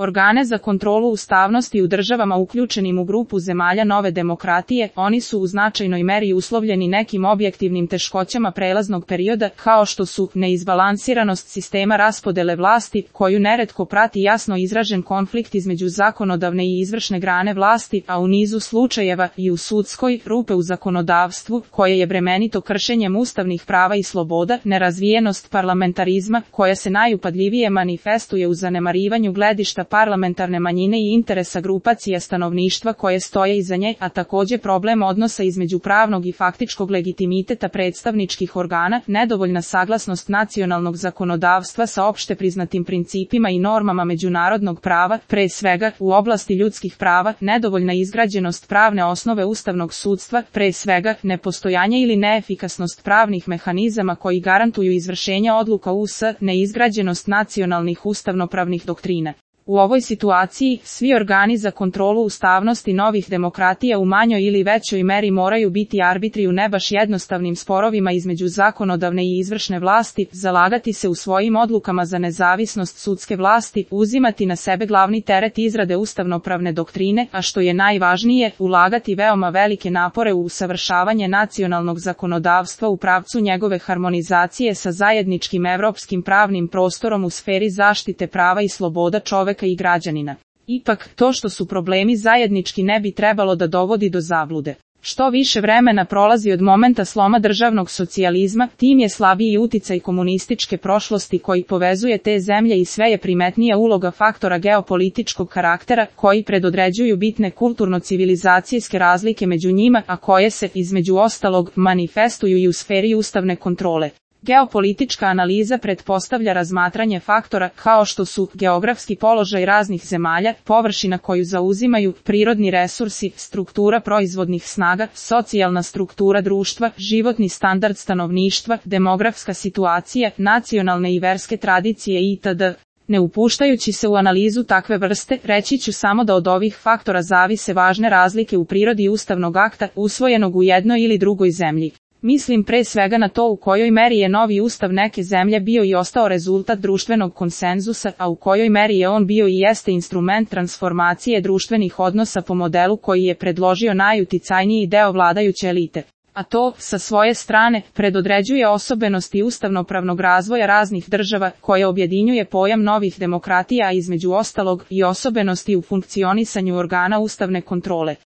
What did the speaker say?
organe za kontrolu ustavnosti u državama uključenim u grupu zemalja nove demokratije, oni su u značajnoj meri uslovljeni nekim objektivnim teškoćama prelaznog perioda, kao što su neizbalansiranost sistema raspodele vlasti, koju neretko prati jasno izražen konflikt između zakonodavne i izvršne grane vlasti, a u nizu slučajeva i u sudskoj, rupe u zakonodavstvu, koje je bremenito kršenjem ustavnih prava i sloboda, nerazvijenost parlamentarizma, koja se najupadljivije manifestuje u zanemarivanju gledišta parlamentarne manjine i interesa grupacija stanovništva koje stoje iza nje, a također problem odnosa između pravnog i faktičkog legitimiteta predstavničkih organa, nedovoljna saglasnost nacionalnog zakonodavstva sa opšte priznatim principima i normama međunarodnog prava, pre svega u oblasti ljudskih prava, nedovoljna izgrađenost pravne osnove ustavnog sudstva, pre svega nepostojanje ili neefikasnost pravnih mehanizama koji garantuju izvršenje odluka US, neizgrađenost nacionalnih ustavnopravnih doktrina. U ovoj situaciji, svi organi za kontrolu ustavnosti novih demokratija u manjoj ili većoj meri moraju biti arbitri u ne baš jednostavnim sporovima između zakonodavne i izvršne vlasti, zalagati se u svojim odlukama za nezavisnost sudske vlasti, uzimati na sebe glavni teret izrade ustavnopravne doktrine, a što je najvažnije, ulagati veoma velike napore u usavršavanje nacionalnog zakonodavstva u pravcu njegove harmonizacije sa zajedničkim evropskim pravnim prostorom u sferi zaštite prava i sloboda čoveka i građanina. Ipak, to što su problemi zajednički ne bi trebalo da dovodi do zablude. Što više vremena prolazi od momenta sloma državnog socijalizma, tim je slabiji uticaj komunističke prošlosti koji povezuje te zemlje i sve je primetnija uloga faktora geopolitičkog karaktera koji predodređuju bitne kulturno-civilizacijske razlike među njima, a koje se, između ostalog, manifestuju i u sferi ustavne kontrole. Geopolitička analiza pretpostavlja razmatranje faktora kao što su geografski položaj raznih zemalja, površina koju zauzimaju, prirodni resursi, struktura proizvodnih snaga, socijalna struktura društva, životni standard stanovništva, demografska situacija, nacionalne i verske tradicije itd. Ne upuštajući se u analizu takve vrste, reći ću samo da od ovih faktora zavise važne razlike u prirodi ustavnog akta, usvojenog u jednoj ili drugoj zemlji. Mislim pre svega na to u kojoj meri je novi ustav neke zemlje bio i ostao rezultat društvenog konsenzusa, a u kojoj meri je on bio i jeste instrument transformacije društvenih odnosa po modelu koji je predložio najuticajniji deo vladajuće elite. A to, sa svoje strane, predodređuje osobenosti ustavnopravnog razvoja raznih država, koje objedinjuje pojam novih demokratija, a između ostalog i osobenosti u funkcionisanju organa ustavne kontrole.